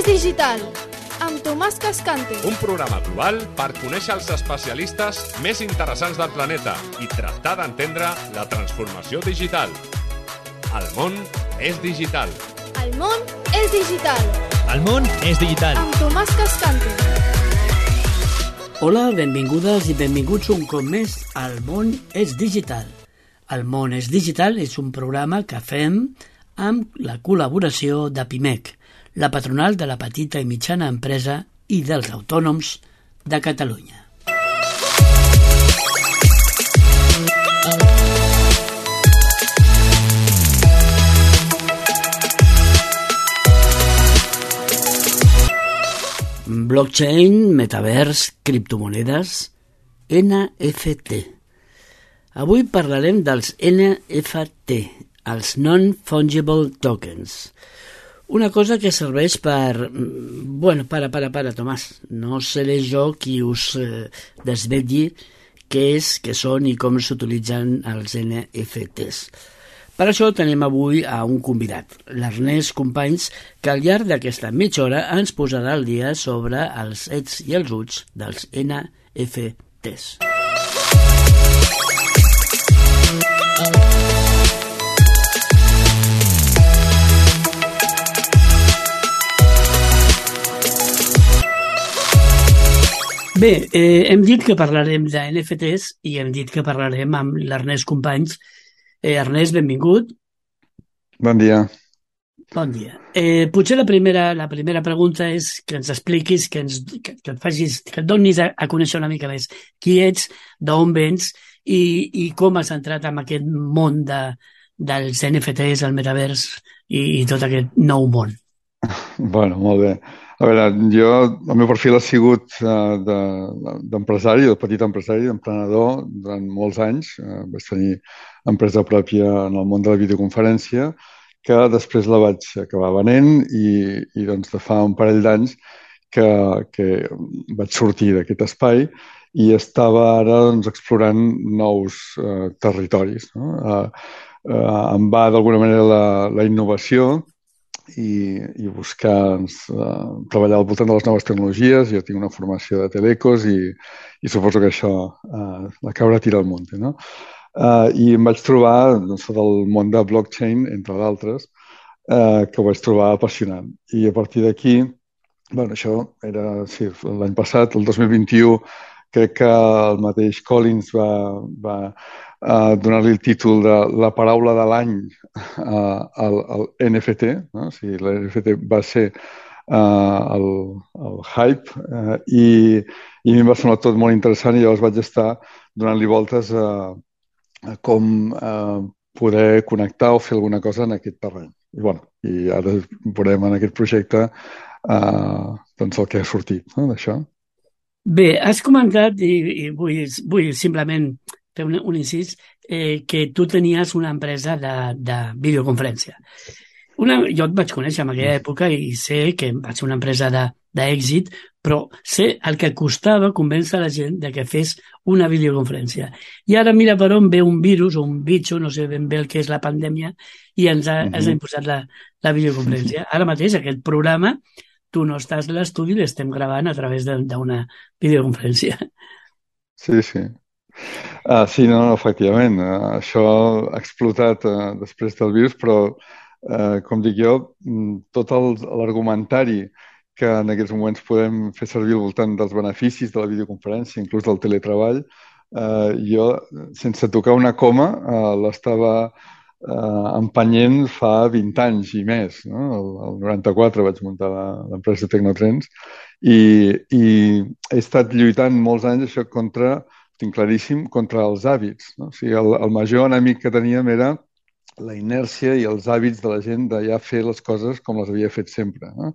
Digital, amb Tomàs Cascante. Un programa global per conèixer els especialistes més interessants del planeta i tractar d'entendre la transformació digital. El món és digital. El món és digital. El món és digital. Amb Tomàs Cascante. Hola, benvingudes i benvinguts un cop més al món és digital. El món és digital és un programa que fem amb la col·laboració de PIMEC, la patronal de la petita i mitjana empresa i dels autònoms de Catalunya. Blockchain, metavers, criptomonedes, NFT. Avui parlarem dels NFT, els Non-Fungible Tokens. Una cosa que serveix per... Bueno, para, Tomàs. No seré jo qui us desvetlli què són i com s'utilitzen els NFTs. Per això tenim avui a un convidat, l'Ernest Companys, que al llarg d'aquesta mitja hora ens posarà al dia sobre els ets i els uts dels NFTs. Bé, hem dit que parlarem de NFTs i hem dit que parlarem amb l'Ernest Companys. Ernest, benvingut. Bon dia. Bon dia. Potser la primera pregunta és que ens expliquis, que et facis, que et donis a conèixer una mica més qui ets, d'on vens i com has entrat en aquest món dels NFTs, el metavers i tot aquest nou món. Bueno, molt bé. A veure, el meu perfil ha sigut d'empresari, de petit empresari, d'emprenedor durant molts anys. Vaig tenir empresa pròpia en el món de la videoconferència, que després la vaig acabar venent i doncs de fa un parell d'anys que vaig sortir d'aquest espai i estava ara doncs, explorant nous territoris. No? Em va d'alguna manera la innovació i buscar treballar al voltant de les noves tecnologies. Jo tinc una formació de telecos i suposo que això la cabra tira al monte, no? I em vaig trobar sota el món de blockchain, entre d'altres, que ho vaig trobar apassionant. I a partir d'aquí, bueno, això era l'any passat, el 2021, crec que el mateix Collins va donar-li el títol de la paraula de l'any al NFT, no? O sigui, l'NFT va ser el hype i a mi em va semblar tot molt interessant i llavors vaig estar donant-li voltes a com poder connectar o fer alguna cosa en aquest terreny. I ara veurem en aquest projecte doncs el que ha sortit, no, d'això. Bé, has comentat, i vull simplement fer un incís, que tu tenies una empresa de videoconferència. Jo et vaig conèixer en aquella època i sé que va ser una empresa d'èxit, però sé el que costava convèncer la gent de que fes una videoconferència. I ara mira per on ve un virus o un bitxo, no sé ben bé el que és la pandèmia, i ens ha imposat la videoconferència. Ara mateix aquest programa, tu no estàs a l'estudi, l'estem gravant a través d'una videoconferència. Sí. Sí, no, efectivament. Això ha explotat després del virus, però, com dic jo, tot l'argumentari que en aquests moments podem fer servir al voltant dels beneficis de la videoconferència, inclús del teletreball, jo, sense tocar una coma, l'estava empenyent fa 20 anys i més. No? El 94 vaig muntar l'empresa Tecnotrends i he estat lluitant molts anys això tinc claríssim, contra els hàbits. No? O sigui, el major enemic que teníem era la inèrcia i els hàbits de la gent de ja fer les coses com les havia fet sempre. No?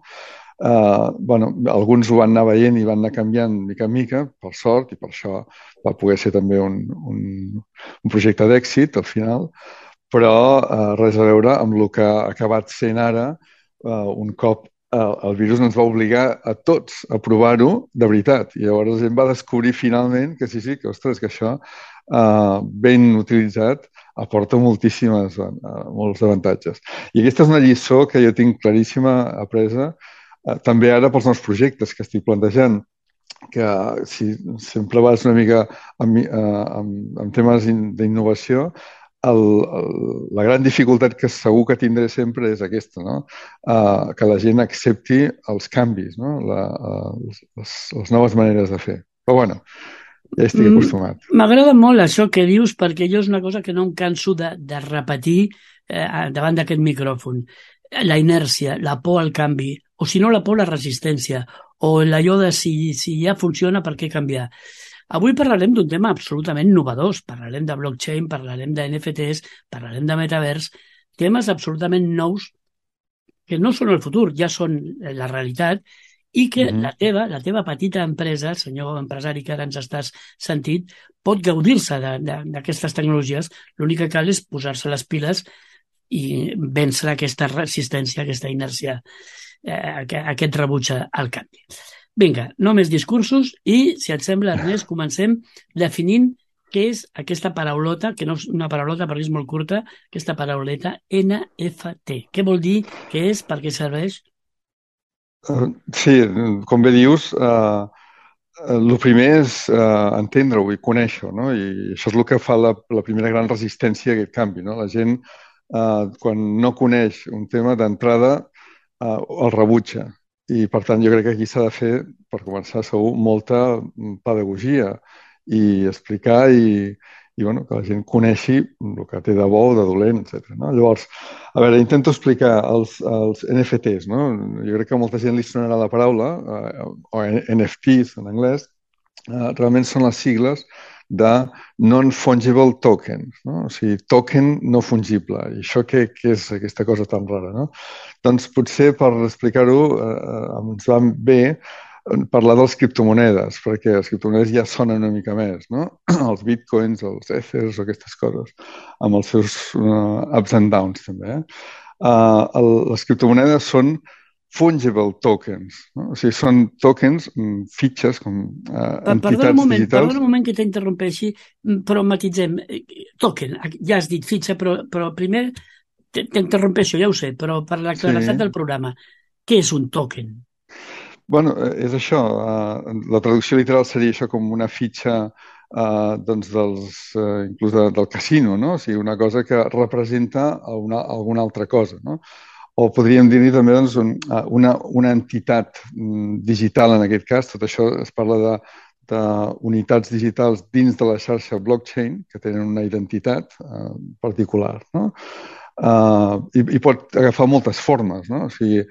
Alguns ho van anar veient i van anar canviant mica en mica, per sort, i per això va poder ser també un projecte d'èxit al final, però res a veure amb el que ha acabat sent ara un cop el virus ens va obligar a tots a provar-ho de veritat. I llavors la gent va descobrir finalment que sí, que ostres, que això ben utilitzat aporta molts avantatges. I aquesta és una lliçó que jo tinc claríssima apresa també ara pels nous projectes que estic plantejant, que si sempre vas una mica amb temes d'innovació, la gran dificultat que segur que tindré sempre és aquesta, no? Que la gent accepti els canvis, no? Les noves maneres de fer. Però bueno, ja estic acostumat. M'agrada molt això que dius, perquè jo és una cosa que no em canso de repetir davant d'aquest micròfon. La inèrcia, la por al canvi, o si no la por, la resistència, o allò de si ja funciona, per què canviar? Avui parlarem d'un tema absolutament innovador. Parlarem de blockchain, parlarem de NFTs, parlarem de metavers, temes absolutament nous que no són el futur, ja són la realitat, i que la teva petita empresa, senyor empresari que ara ens estàs sentint, pot gaudir-se d'aquestes tecnologies. L'únic que cal és posar-se les piles i vèncer aquesta resistència, aquesta inèrcia, aquest rebuig al canvi. Vinga, no més discursos i, si et sembla, Ernest, comencem definint què és aquesta paraulota, que no és una paraulota perquè és molt curta, aquesta parauleta NFT. Què vol dir, què és, per què serveix? Sí, com bé dius, el primer és entendre-ho i conèixer-ho, no? I això és el que fa la primera gran resistència a aquest canvi, no? La gent, quan no coneix un tema d'entrada, el rebutja. I, per tant, jo crec que aquí s'ha de fer, per començar, segur, molta pedagogia i explicar i bueno, que la gent coneixi el que té de bo o de dolent, etc. No? Llavors, a veure, intento explicar els NFTs, no? Jo crec que a molta gent li sonarà la paraula, o NFTs en anglès, realment són les sigles de Non-Fungible Tokens, no? O sigui, token no fungible. I això què és aquesta cosa tan rara, no? Doncs potser per explicar-ho ens va bé parlar de les criptomonedes, perquè les criptomonedes ja sonen una mica més, no? Els bitcoins, els ethers o aquestes coses, amb els seus ups and downs també. Les criptomonedes són fungible tokens, no? O sigui, són tokens, fitxes, com entitats digitals. Perdona un moment que t'interrompeixi, però matitzem. Token, ja has dit fitxa, però primer t'interrompeixo, ja ho sé, però per la claredat del programa, què és un token? Bueno, és això. La traducció literal seria això com una fitxa doncs inclús del casino, no? O sigui, una cosa que representa alguna altra cosa, no? O podríem dir-hi també doncs, una entitat digital en aquest cas. Tot això es parla d'unitats digitals dins de la xarxa blockchain que tenen una identitat particular, no? I pot agafar moltes formes, no? O sigui,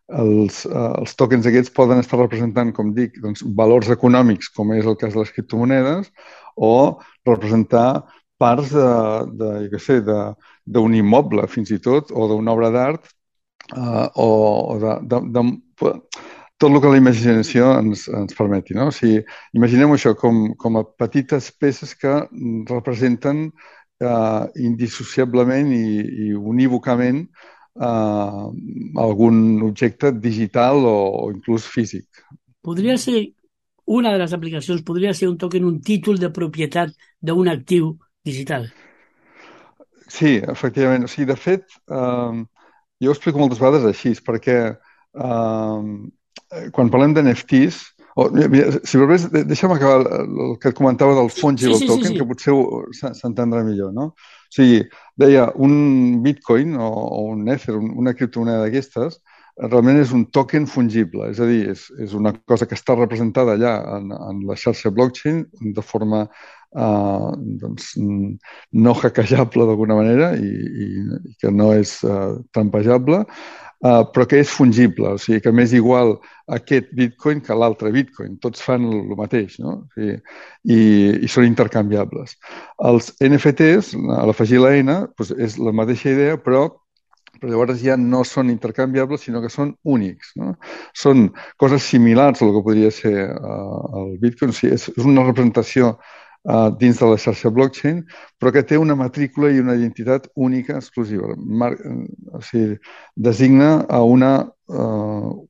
els tokens aquests poden estar representant, com dic, doncs, valors econòmics, com és el cas de les criptomonedes, o representar parts d'un immoble, fins i tot, o d'una obra d'art, o de tot el que la imaginació ens permeti, no? O sigui, imaginem això com a petites peces que representen indissociablement i unívocament algun objecte digital o inclús físic. Podria ser, una de les aplicacions, podria ser un token, un títol de propietat d'un actiu digital. Sí, efectivament. O sigui, de fet, jo ho explico moltes vegades així, perquè quan parlem d'NFTs, si volgués, deixa'm acabar el que et comentava del fungible token, que potser s'entendrà millor, no? O sigui, deia, un bitcoin o un ether, una criptomoneda d'aquestes, realment és un token fungible, és a dir, és una cosa que està representada allà en la xarxa blockchain de forma doncs, no hackejable d'alguna manera i que no és trampejable, però que és fungible, o sigui que m'és igual aquest bitcoin que l'altre bitcoin, tots fan el mateix, no? O sigui, i són intercanviables. Els NFTs, a l'afegir la N, doncs és la mateixa idea, però llavors ja no són intercanviables, sinó que són únics, no? Són coses similars al que podria ser el bitcoin, o sigui, és una representació dins de la xarxa blockchain, però que té una matrícula i una identitat única, exclusiva. O sigui, designa a una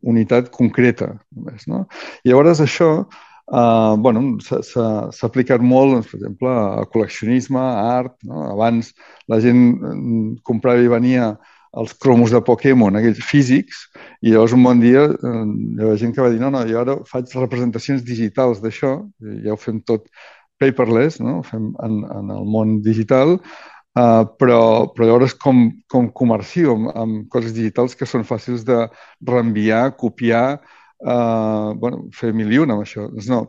unitat concreta, només, no? I llavors això s'ha aplicat molt, doncs, per exemple, a col·leccionisme, a art, no? Abans la gent comprava i venia els cromos de Pokémon, aquells físics, I llavors un bon dia hi havia gent que va dir no, jo ara faig representacions digitals d'això, ja ho fem tot paperless, no? Ho fem en el món digital, però llavors com comercio amb coses digitals que són fàcils de reenviar, copiar, fer mil i una amb això. Doncs no,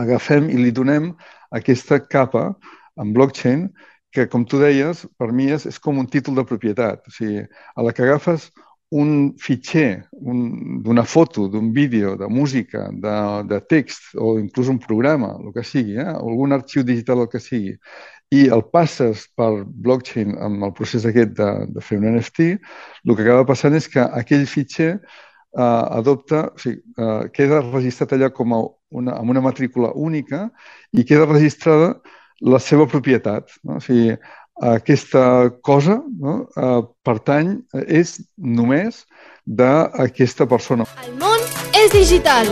agafem i li donem aquesta capa en blockchain que, com tu deies, per mi és com un títol de propietat. O sigui, a la que agafes un fitxer d'una foto, d'un vídeo, de música, de text o inclús un programa, el que sigui, o algun arxiu digital, el que sigui, i el passes per blockchain amb el procés aquest de fer un NFT, el que acaba passant és que aquell fitxer queda registrat allà amb una matrícula única i queda registrada la seva propietat. No? O sigui, aquesta cosa, no? Pertany, és només d'aquesta persona. El món és digital,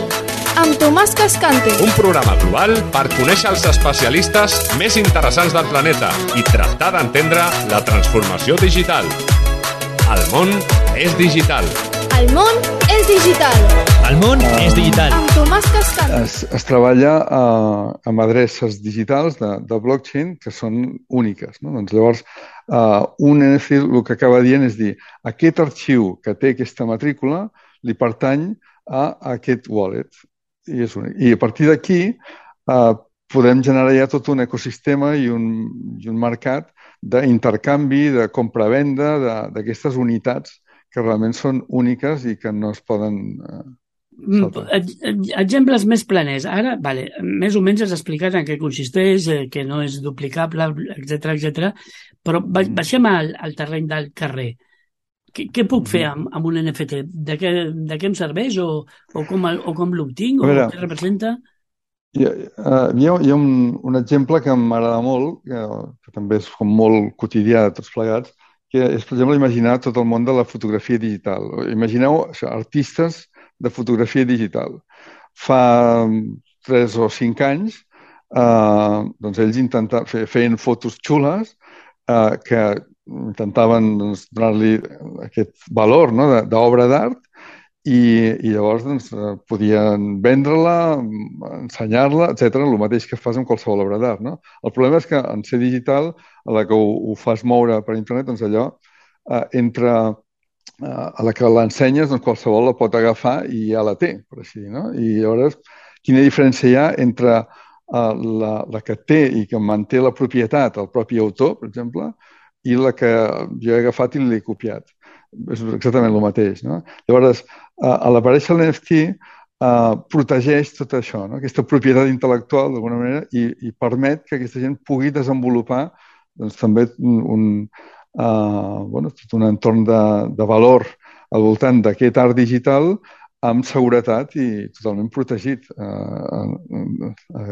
amb Tomàs Cascante. Un programa global per conèixer els especialistes més interessants del planeta i tractar d'entendre la transformació digital. El món és digital. El món és digital. El món és digital. Amb Tomàs Cascante. Es treballa amb adreces digitals de blockchain que són úniques. No? Doncs llavors, un NFT el que acaba dient és dir aquest arxiu que té aquesta matrícula li pertany a aquest wallet. I és únic. I a partir d'aquí podem generar ja tot un ecosistema i un mercat d'intercanvi, de compra-venda d'aquestes unitats que realment són úniques i que no es poden... Exemples més planers. Ara, més o menys has explicat en què consisteix, que no és duplicable, etc. Però baixem al terreny del carrer. Què puc fer amb un NFT? De què em serveix o com l'obtinc o què representa? Hi ha un exemple que m'agrada molt, que també és com molt quotidià de tots plegats, que és, per exemple, imaginar tot el món de la fotografia digital. Imagineu artistes de fotografia digital. Fa 3 o 5 anys, doncs ells feien fotos xules que intentaven donar-li aquest valor d'obra d'art i llavors podien vendre-la, ensenyar-la, etc. El mateix que fas amb qualsevol obra d'art. No? El problema és que en ser digital, a la que ho fas moure per internet, doncs allò entra a la que l'ensenyes, doncs qualsevol la pot agafar i ja la té, per així dir. No? I llavors, quina diferència hi ha entre la que té i que manté la propietat, el propi autor, per exemple, i la que jo he agafat i l'he copiat. És exactament el mateix. No? Llavors, a l'aparèixer l'NFT, protegeix tot això, no? Aquesta propietat intel·lectual, d'alguna manera, i permet que aquesta gent pugui desenvolupar doncs, també tot un entorn de valor al voltant d'aquest art digital amb seguretat i totalment protegit.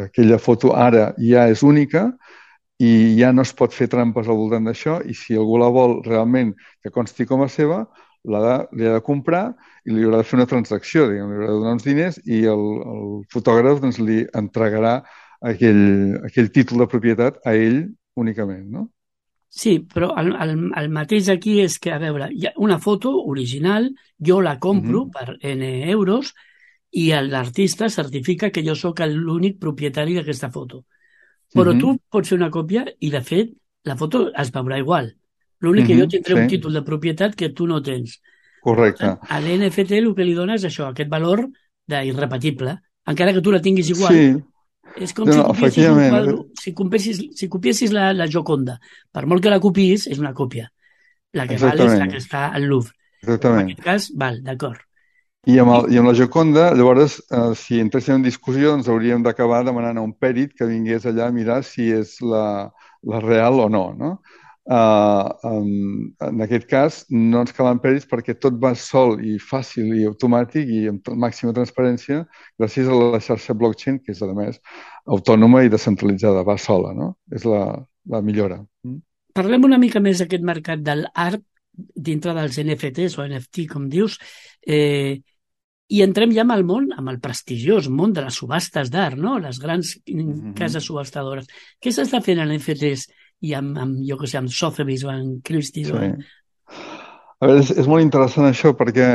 Aquella foto ara ja és única i ja no es pot fer trampes al voltant d'això i si algú la vol realment que consti com a seva, li ha de comprar i li haurà de fer una transacció, li haurà de donar uns diners i el fotògraf doncs, li entregarà aquell títol de propietat a ell únicament, no? Sí, però el mateix aquí és que, a veure, hi ha una foto original, jo la compro per N euros i l'artista certifica que jo sóc l'únic propietari d'aquesta foto. Però tu pots fer una còpia i, de fet, la foto es veurà igual. L'únic que jo tindré un títol de propietat que tu no tens. Correcte. A l'NFT el que li dona és això, aquest valor d'irrepetible, encara que tu la tinguis igual. Sí. És com si copiessis un quadre, si copiessis la Gioconda. Per molt que la copiïs, és una còpia. La que val és la que està al Louvre. Exactament. En aquest cas, val, d'acord. I amb la Gioconda, llavors, si entréssim en discussió, ens hauríem d'acabar demanant a un pèrit que vingués allà a mirar si és la real o no, no? En aquest cas, no ens calen pèrits perquè tot va sol i fàcil i automàtic i amb màxima transparència gràcies a la xarxa blockchain, que és, a més, autònoma i descentralitzada, va sola, no? És la millora. Parlem una mica més d'aquest mercat de l'art dintre dels NFTs o NFT, com dius, i entrem ja amb el món, amb el prestigiós món de les subhastes d'art, no? Les grans cases subhastadores. Què s'està fent en NFTs i amb jo que sé, amb Sotheby's o amb Christie's? Sí. A veure, és molt interessant això perquè,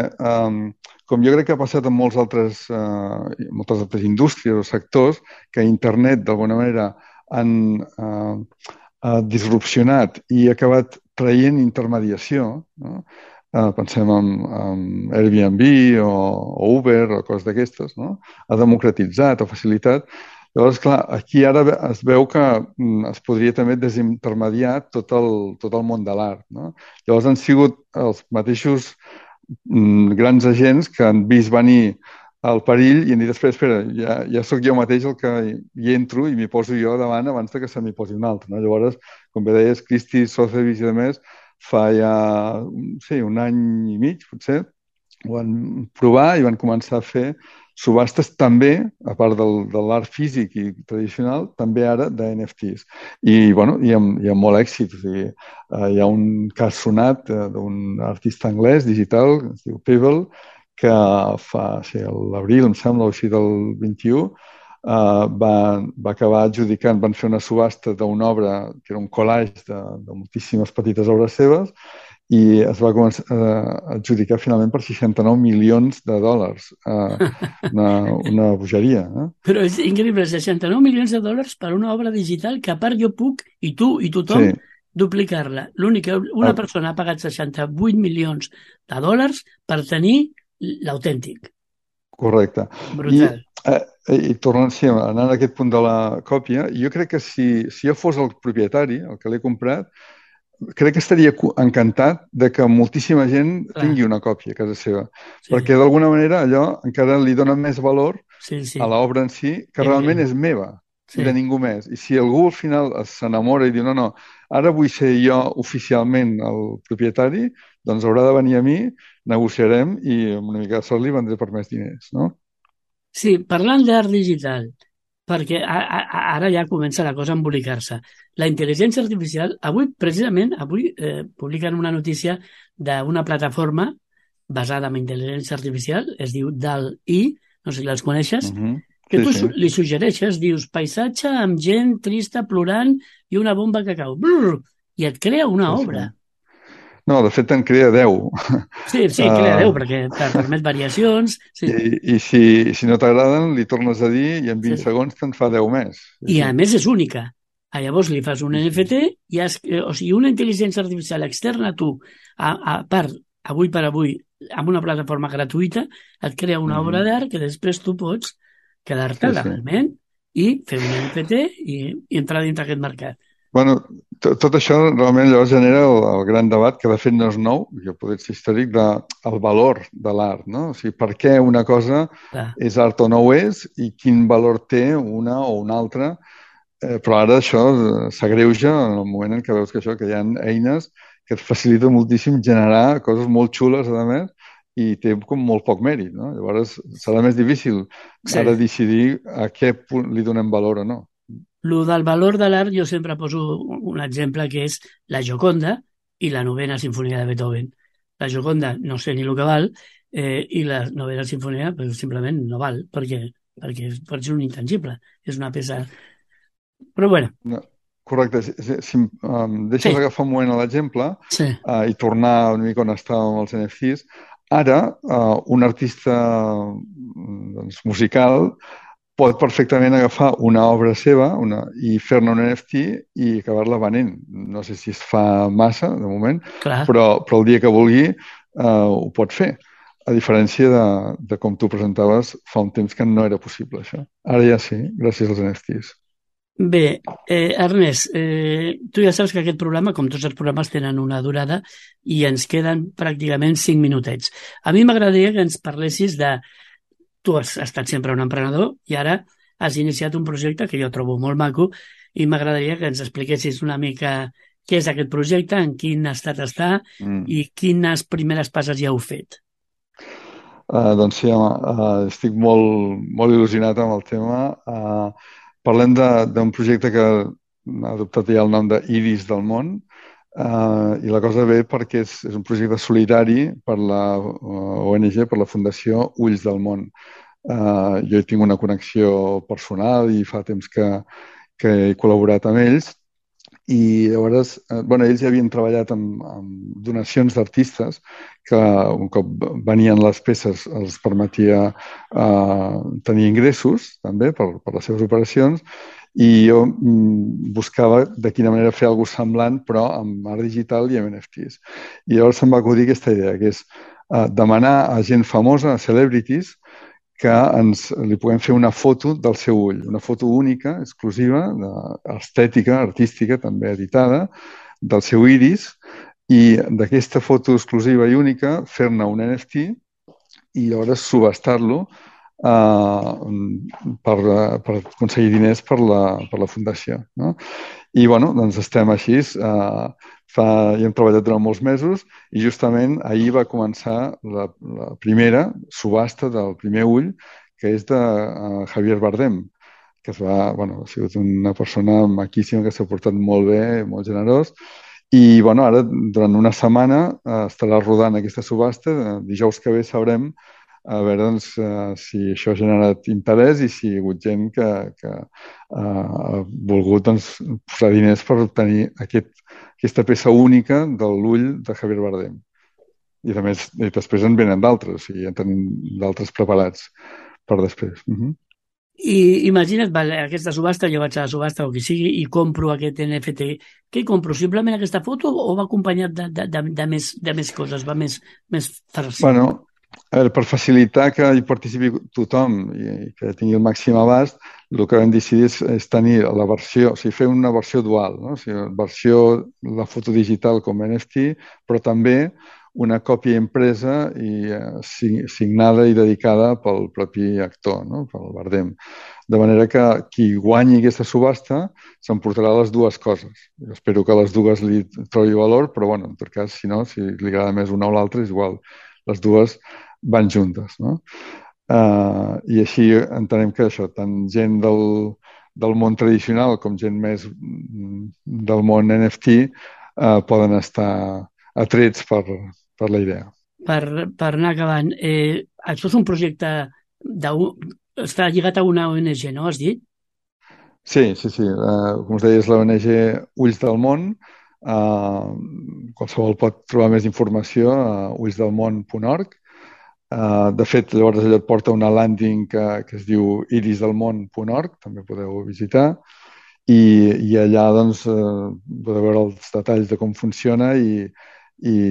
com jo crec que ha passat en moltes altres indústries o sectors, que internet, d'alguna manera, han disrupcionat i ha acabat traient intermediació, no? Pensem en Airbnb o Uber o coses d'aquestes, no? Ha democratitzat, ha facilitat. Llavors, clar, aquí ara es veu que es podria també desintermediar tot el món de l'art, no? Llavors han sigut els mateixos grans agents que han vist venir el perill i han dit, espera, ja sóc jo mateix el que hi entro i m'hi poso jo davant abans de que se m'hi posi un altre, no? Llavors, com bé deies, Christie, Sotheby's i demés, fa ja, sí, un any i mig, potser, ho van provar i van començar a fer subhastes també, a part de l'art físic i tradicional, també ara de NFTs. I, bueno, i amb molt èxit. O sigui, hi ha un cas sonat d'un artista anglès digital, que es diu Pebble, que fa, sí, l'abril, em sembla, o així del 21, va acabar adjudicant, van fer una subhasta d'una obra que era un collage de moltíssimes petites obres seves, i es va començar a adjudicar finalment per 69 milions de dòlars. Una bogeria. Però és increïble, 69 milions de dòlars per una obra digital que a part jo puc, i tu i tothom, sí, duplicar-la. L'únic que una persona ha pagat 68 milions de dòlars per tenir l'autèntic. Correcte. Brutal. I tornant, sí, anant a aquest punt de la còpia, jo crec que si jo fos el propietari, el que l'he comprat, crec que estaria encantat de que moltíssima gent tingui una còpia a casa seva, perquè d'alguna manera allò encara li dona més valor a l'obra en si, que realment és meva, de ningú més. I si algú al final s'enamora i diu no, ara vull ser jo oficialment el propietari, doncs haurà de venir a mi, negociarem i amb una mica de sort li vendré per més diners, no? Sí, parlant d'art digital, perquè ara ja comença la cosa a embolicar-se. La intel·ligència artificial, precisament avui publiquen una notícia d'una plataforma basada en intel·ligència artificial, es diu DALL-E, no sé si les coneixes, que tu li suggereixes, dius, paisatge amb gent trista, plorant i una bomba que cau. Brrr, i et crea una obra. No, de fet en crea 10. Sí, crea 10, perquè permet variacions. Sí. I si no t'agraden, li tornes a dir i en 20 segons te'n fa 10 més. I a més és única. Llavors li fas un NFT i o sigui, una intel·ligència artificial externa a tu, a part, avui per avui, amb una plataforma gratuïta, et crea una obra d'art que després tu pots quedar-te legalment i fer un NFT i entrar dintre aquest mercat. Bueno, tot això realment llavors genera el gran debat, que de fet no és nou, que pot ser històric, del valor de l'art, no? O sigui, per què una cosa és art o no ho és i quin valor té una o una altra. Però ara això s'agreuja en el moment en què veus que hi ha eines que et faciliten moltíssim generar coses molt xules, a més, i té com molt poc mèrit, no? Llavors serà més difícil ara decidir a què li donem valor o no. Lo del valor de l'art jo sempre poso un exemple que és la Gioconda i la novena sinfonia de Beethoven. La Gioconda no sé ni el que val i la novena sinfonia simplement no val perquè pot ser un intangible. És una peça... Però bueno. No, correcte. Si deixes agafar un moment a l'exemple i tornar una mica on estàvem els NFTs, ara un artista musical pot perfectament agafar una obra seva i fer-ne un NFT i acabar-la venent. No sé si es fa massa, de moment, però el dia que vulgui ho pot fer. A diferència de com tu presentaves fa un temps que no era possible, això. Ara ja sí, gràcies als NFTs. Bé, Ernest, tu ja saps que aquest programa, com tots els programes, tenen una durada i ens queden pràcticament 5 minutets. A mi m'agradaria que ens parlessis de... Tu has estat sempre un emprenedor i ara has iniciat un projecte que jo trobo molt maco i m'agradaria que ens expliquessis una mica què és aquest projecte, en quin estat està i quines primeres passes ja heu fet. Doncs sí, estic molt il·lusionat amb el tema. Parlem d'un projecte que ha adoptat ja el nom d'Iris del món, i la cosa ve perquè és un projecte solidari per la ONG, per la Fundació Ulls del Món. Jo hi tinc una connexió personal i fa temps que he col·laborat amb ells i llavors, ells ja havien treballat amb donacions d'artistes que un cop venien les peces els permetia tenir ingressos també per les seves operacions, i jo buscava de quina manera fer alguna cosa semblant però amb art digital i amb NFTs. I llavors se'm va acudir aquesta idea, que és demanar a gent famosa, a celebrities, que li puguem fer una foto del seu ull, una foto única, exclusiva, estètica, artística, també editada, del seu iris, i d'aquesta foto exclusiva i única fer-ne un NFT i llavors subhastar-lo per aconseguir diners per la fundació. No? I doncs estem així. Hi hem treballat durant molts mesos i justament ahir va començar la primera subhasta del primer ull, que és de Javier Bardem, que ha sigut una persona maquíssima, que s'ha portat molt bé, molt generós. I ara, durant una setmana, estarà rodant aquesta subhasta. Dijous que ve sabrem a veure si això ha generat interès i si hi ha hagut gent que ha volgut posar diners per obtenir aquesta peça única de l'ull de Javier Bardem. I després en venen d'altres, ja en tenim d'altres preparats per després. I imagina't, aquesta subhasta, jo vaig a la subhasta o qui sigui i compro aquest NFT. Què compro? Simplement aquesta foto o va acompanyat de més coses? Va més farcit? Per facilitar que hi participi tothom i que tingui el màxim abast, el que vam decidir és tenir la versió, o sigui, fer una versió dual, no? O sigui, la foto digital com NFT, però també una còpia impresa i signada i dedicada pel propi actor, no? Pel Bardem. De manera que qui guanyi aquesta subhasta s'emportarà les dues coses. Jo espero que les dues li trobi valor, però en tot cas, si no, si li agrada més una o l'altra, és igual. Les dues van juntes, no? I així entenem que això, tant gent del món tradicional com gent més del món NFT poden estar atrets per la idea. Per anar acabant, això és un projecte està lligat a una ONG, no? Has dit? Sí. Com us deia, és l'ONG Ulls del Món. Qualsevol pot trobar més informació a ullsdelmón.org. De fet, llavors allò et porta una landing que es diu irisdelmón.org, també podeu visitar, i allà podeu veure els detalls de com funciona i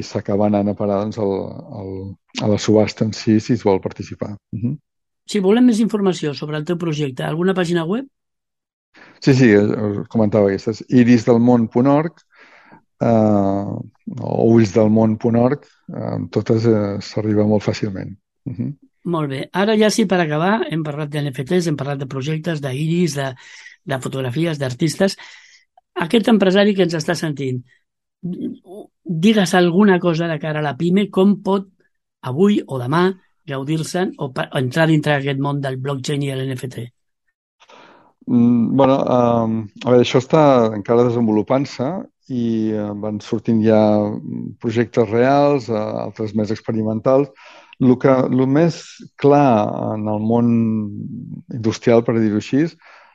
s'acaba anant a parar a la subhasta en si es vol participar. Si volem més informació sobre el teu projecte, alguna pàgina web? Sí, us comentava aquesta, és irisdelmón.org o ullsdelmón.org, amb totes s'arriba molt fàcilment. Molt bé. Ara ja sí, per acabar, hem parlat d'NFTs, hem parlat de projectes, d'iris, de fotografies, d'artistes. Aquest empresari que ens està sentint, digues alguna cosa de cara a la PIME, com pot avui o demà gaudir-se'n o entrar dintre d'aquest món del blockchain i l'NFT? Això està encara desenvolupant-se i van sortint ja projectes reals, altres més experimentals. El més clar en el món industrial, per dir-ho així,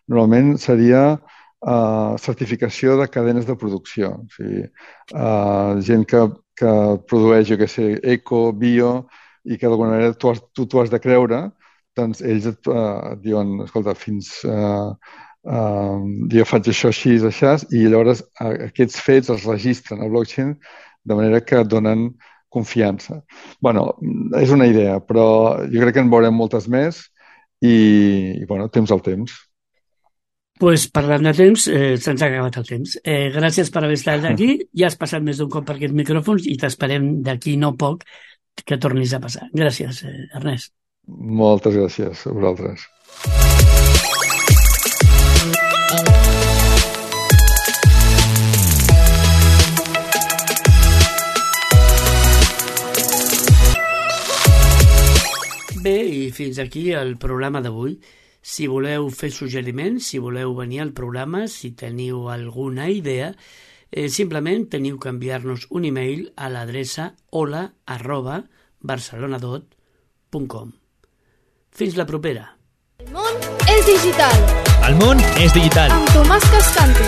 normalment seria certificació de cadenes de producció. O sigui, gent que produeix, jo què sé, eco, bio, i que d'alguna manera tu t'ho has de creure, doncs ells et diuen, escolta, jo faig això així, i llavors aquests fets els registren al blockchain de manera que donen confiança. És una idea, però jo crec que en veurem moltes més i temps al temps. Doncs parlant de temps, se'ns ha acabat el temps. Gràcies per haver estat aquí. Ja has passat més d'un cop per aquests micròfons i t'esperem d'aquí no poc que tornis a passar. Gràcies, Ernest. Moltes gràcies a vosaltres. Bé, i fins aquí el programa d'avui. Si voleu fer suggeriments, si voleu venir al programa, si teniu alguna idea, simplement teniu que enviar-nos un email a l'adreça hola@barcelonadot.com. Fins la propera. El món és digital. El món és digital. Amb Tomàs Cascante.